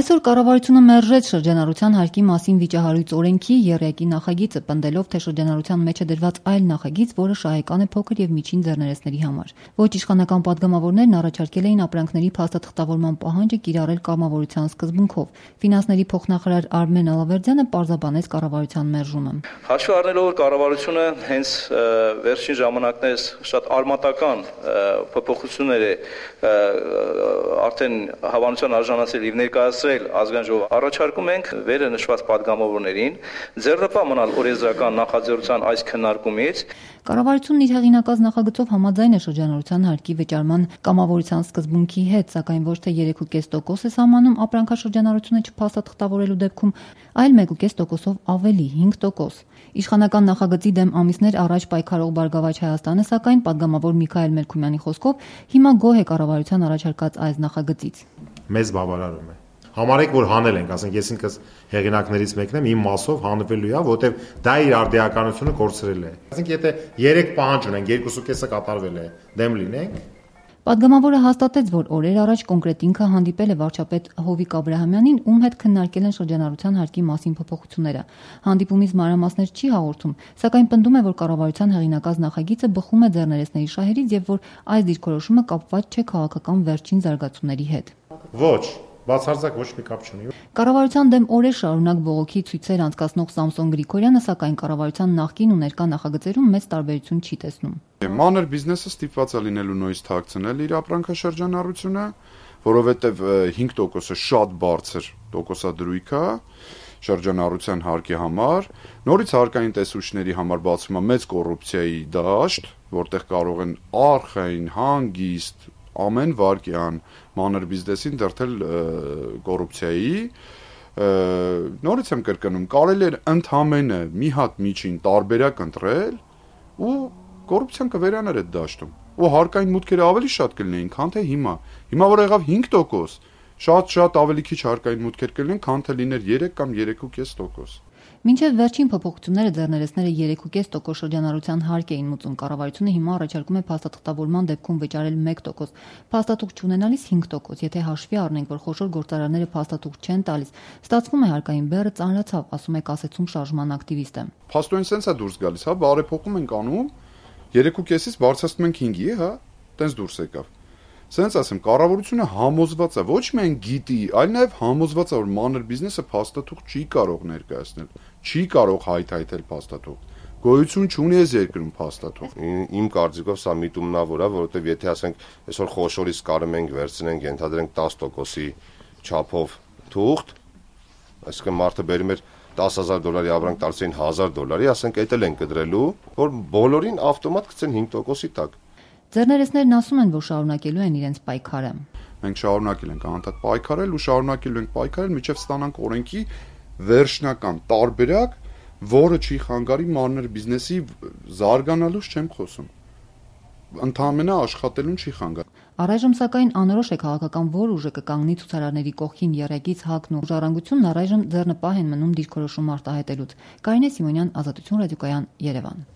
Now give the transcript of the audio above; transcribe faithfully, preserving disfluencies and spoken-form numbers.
Այսօր կառավարությունը մերժեց շրջանառության հարկի մասին վիճահարույց օրենքի եռյակի նախագիծը, պնդելով, թե շրջանառության մեջ է դրված այլ նախագիծ, որը շահեկան է փոքր և միջին ձեռներեցների համար։ Ոչ իշխանական պատգամավորներն առաջարկել էին ապրանքների փաստաթղթավորման պահանջը կիրառել կամավորության սկզբունքով։ Ֆինանսների փոխնախարար Արմեն Ալավերդյանը պարզաբանեց կառավարության մերժումը։ Հաշվի առնելով, որ կառավարությունը հենց վերջին ժամանակներս շատ արմատական փոփոխություններ է արդեն հավանության արժանացել և ներկայացրել ազգային ժողովը, առաջարկում ենք վերը նշված պատգամավորներին ձեռնպահ մնալ օրենսդրական նախաձեռնության այս քննարկումից։ Կառավարությունն իր հեղինակած նախագծով համաձայն է շրջանառության հարկի վճարման կամավորության սկզբունքի հետ, սակայն ոչ թե երեք կես տոկոս է սահմանում ապրանքաշրջանառությունը չփաստաթղթավորելու դեպքում, այլ մեկ կես տոկոսով ավելի՝ հինգ տոկոս։ Իշխանական նախագծի դեմ ամիսներ առաջ պայքարող Բարգավաճ Հայաստանը, սակայն, պատգամավոր Միքայել Մելքումյանի խոսքով, հիմա գոհ է կառավարության առաջարկած այս նախագծից։ Մեզ բավարարում է։ Համարեք, որ հանել ենք, ասենք ես ինքս հեղինակներից մեկն եմ, իմ մասով հանվելու է, որտեվ դա իր արդիականությունը կորցրել է։ Ասենք եթե երեք պահանջ ունենք, երկուսը կեսը կատարվել է, դեմ լինենք։ Պատգամավորը հաստատեց, որ օրեր առաջ կոնկրետ ինքը հանդիպել է վարչապետ Հովիկ Աբրահամյանին, ում հետ քննարկել են շրջանառության հարկի մասին փոփոխությունները։ Հանդիպումից մանրամասներ չի հաղորդում, սակայն պնդում է, որ կառավարության հեղինակած նախագիծը բխում է ձեռներեցների շահերից և որ այս դիրքորոշումը կապված չէ քաղաքական վերջին զարգացումների հետ։ Ոչ, բացարձակ ոչ մի կապ չունի։ Կառավարության դեմ օրեր շարունակ բողոքի ցույցեր անցկացնող Սամսոն Գրիգորյանը, սակայն կառավարության նախկին ու ներկա նախագծերում մեծ տարբերություն չի տեսնում։ Մանր բիզնեսը ստիպված է լինելու նույնիսկ թաքցնել իր ապրանքաշրջանառությունը, որովհետև հինգ տոկոսը շատ բարձր տոկոսադրույք է շրջանառության հարկի համար, նորից հարկային տեսուչների համար բացվում է մեծ կոռուպցիայի դաշտ, որտեղ կարող են արխային, հանգիստ, ամեն վարկյան մանր բիզնեսին դրդել կոռուպցիայի։ Նորից եմ կրկնում, կարելի է ընդամենը մի հատ միջին տարբերակ ընտրել ու կոռուպցիան կվերանար այդ դաշտում, ու հարկային մուտքերը ավելի շատ կլինեին, քան թե հիմա։ Հիմա որ եղավ հինգ տոկոս, շատ-շատ ավելի քիչ հարկային մուտքեր կլինեն, քան թե լիներ երեք կամ երեք կես տոկոս։ Մինչև վերջին փոփոխությունները ձեռներեցները երեք կես տոկոս շրջանառության հարկ էին մուծում, կառավարությունը հիմա առաջարկում է փաստաթղթավորման դեպքում վճարել մեկ տոկոս, փաստաթուղթ չունենալիս հինգ տոկոս։ Եթե հաշվի առնենք, որ խոշոր գործարանները փաստաթուղթ չեն տալիս, ստացվում է հարկային բեռը ծանրացավ, ասում է կասեցում շարժման ակտիվիստը։ Փաստորեն սենց է դուրս գալիս, հա, բարեփոխում ենք անում, երեք կեսից բարձրացնում ենք հինգի, հա, տենց դուրս եկավ։ Սենց ասեմ, կառավարությունը համոզված է, ոչ միայն գիտի, այլ նաև համոզված է, որ մանր բիզնեսը փաստաթուղթ չի կարող ներկայացնել, չի կարող հայթայթել փաստաթուղթ։ Գոյություն չունի այս երկրում փաստաթուղթ։ Իմ կարծիքով սա միտումնավոր է, որովհետև եթե ասենք այսօր խոշորից կարում ենք վերցնենք, ենթադրենք տասը տոկոսի չափով թուղթ, այսինքն մարդը բերում էր տասը հազար դոլարի ապրանք տալիս էին հազար դոլարի, ասենք այդ էլ են կդրելու, որ բոլորին ավտոմատ գցեն հինգ տոկոսի տակ։ Ձեռներեցներն ասում են, որ շարունակելու են իրենց պայքարը։ Մենք շարունակել ենք անընդհատ պայքարել ու շարունակելու ենք պայքարել, մինչև ստանանք օրենքի վերջնական տարբերակ, որը չի խանգարի մանր բիզնեսի զարգանալուց չեմ խոսում, ընդամենը աշխատելուն չի խանգարի։ Առայժմ սակայն անորոշ է քաղաքական որ ուժը կկանգնի ցուցարարների կողքին եռյակից ՀԱԿ-ն ու «Ժառանգությունն» առայժմ ձեռնպահ են մնում դիրքորոշում արտահայտելուց։ Կարինե Սիմոնյան, Ազատություն ռադիոկայան, Երևան։